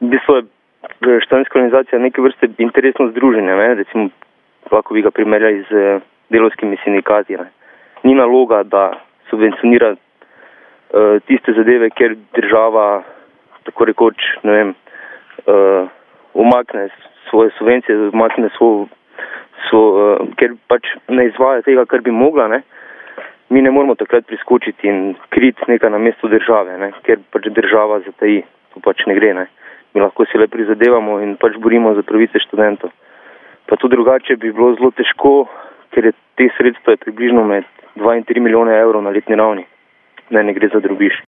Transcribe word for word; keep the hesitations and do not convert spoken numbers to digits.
v bistvu je študentska organizacija neke vrste interesno združenje, ne? Recimo, lahko bi ga primerjali z delavskimi sindikati. Ne? Ni naloga, da subvencionira uh, tiste zadeve, ker država tako rekoč, ne vem, uh, umakne svoje subvencije, umakne svoj, svoj, uh, ker pač ne izvaja tega, kar bi mogla, ne? Mi ne moramo takrat priskočiti in kriti nekaj na mesto države, ne? Ker pač država zataji, to pač ne gre, ne? Mi lahko si le prizadevamo in pač borimo za pravice študentov. Pa tudi drugače bi bilo zelo težko, ker je teh sredstev približno med dva in tri milijone evrov na letni ravni. Ne, ne gre za drobiž.